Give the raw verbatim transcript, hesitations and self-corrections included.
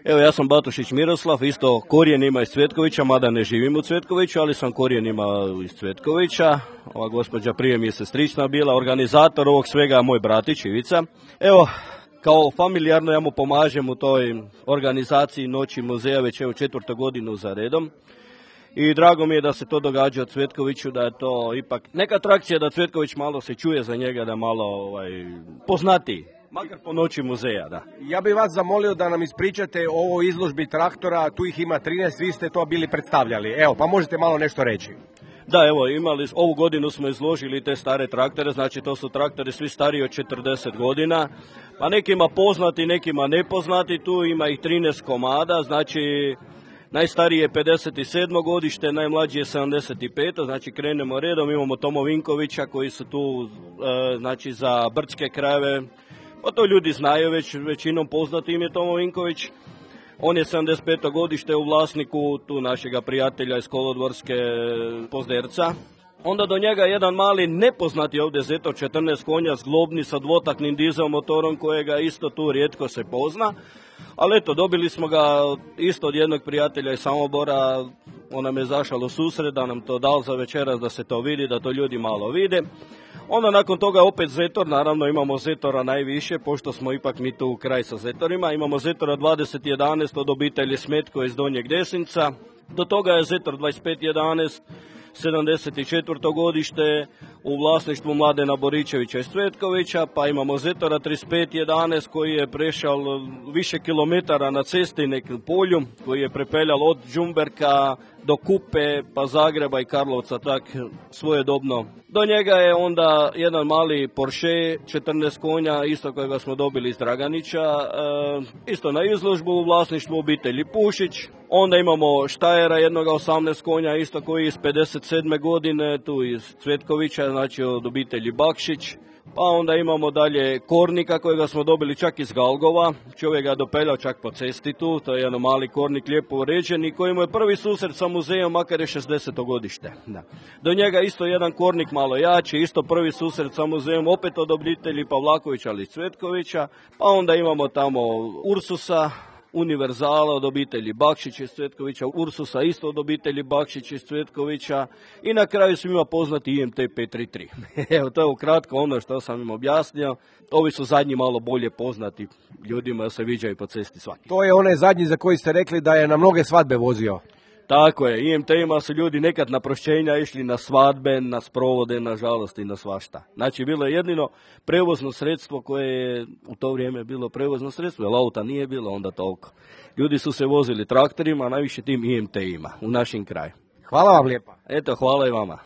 Evo, ja sam Batušić Miroslav, isto korijenima iz Cvetkovića, mada ne živim u Cvetkoviću, ali sam korijenima iz Cvetkovića. Ova gospođa prije mi je sestrična bila, organizator ovog svega moj bratić Ivica. Evo, kao familijarno ja mu pomažem u toj organizaciji Noći muzeja već evo četvrtu godinu za redom. I drago mi je da se to događa u Cvetkoviću, da je to ipak neka atrakcija, da Cvetković malo se čuje za njega, da malo ovaj, poznati. Makar po Noći muzeja, da. Ja bih vas zamolio da nam ispričate o ovoj izložbi traktora, tu ih ima trinaest, vi ste to bili predstavljali. Evo, pa možete malo nešto reći. Da, evo, imali, ovu godinu smo izložili te stare traktore, znači to su traktori svi stariji od četrdeset godina, pa nekima poznati, nekima nepoznati, tu ima ih trinaest komada, znači najstariji je pedeset sedmo godište, najmlađi je sedamdeset peto znači krenemo redom, imamo Tomo Vinkovića koji su tu e, znači za brdske krajeve. Pa to ljudi znaju, već većinom poznati im je Tomo Vinković. On je sedamdeset peto godište u vlasniku tu našega prijatelja iz Kolodvorske Pozderca. Onda do njega jedan mali nepoznati ovdje Zetor četrnaest konja zglobni sa dvotaknim dizel motorom kojega isto tu rijetko se pozna. Ali eto, dobili smo ga isto od jednog prijatelja iz Samobora, on nam je zašao u susret da nam to dao za večeras da se to vidi, da to ljudi malo vide. Onda nakon toga opet Zetor, naravno imamo Zetora najviše, pošto smo ipak mi tu u kraj sa Zetorima. Imamo Zetora dvadeset jedanaest od obitelji Smetko iz Donjeg Desinca, do toga je Zetor dvadeset pet jedanaest, sedamdeset četvrto godište u vlasništvu Mladena Boričevića iz Cvetkovića, pa imamo Zetora trideset pet jedanaest koji je prešao više kilometara na cesti nekom polju, koji je prepeljal od Đumberka do Kupe, pa Zagreba i Karlovca, tak svojedobno. Do njega je onda jedan mali Porsche, četrnaest konja, isto kojega smo dobili iz Draganića, e, isto na izložbu u vlasništvu obitelji Pušić. Onda imamo Štajera, jednoga osamnaest konja, isto koji iz pedeset sedme godine, tu iz Cvetkovića, znači od obitelji Bakšić. Pa onda imamo dalje Kornika kojega smo dobili čak iz Galgova, čovjek ga dopeljao čak po cesti tu, to je jedan mali Kornik lijepo uređen i koji mu je prvi susret sa muzejom, makar je šezdeseto godište. Da. Do njega isto jedan Kornik malo jači, isto prvi susret sa muzejom, opet od obitelji Pavlakovića ali iz Cvetkovića, pa onda imamo tamo Ursusa, Univerzala od obitelji Bakšić iz Cvetkovića, Ursusa isto od obitelji Bakšić iz Cvetkovića i na kraju svima poznati I M T pet tri tri. Evo, to je ukratko ono što sam im objasnio. Ovi su zadnji malo bolje poznati ljudima, se viđaju po cesti svaki. To je onaj zadnji za koji ste rekli da je na mnoge svadbe vozio. Tako je, I M T-ima su ljudi nekad na prošćenja išli na svadbe, na sprovode, nažalost i na svašta. Znači, bilo je jedino prevozno sredstvo koje je u to vrijeme bilo prevozno sredstvo, jer auta nije bilo onda toliko. Ljudi su se vozili traktorima, a najviše tim I M T-ima u našim kraju. Hvala vam lijepa. Eto, hvala i vama.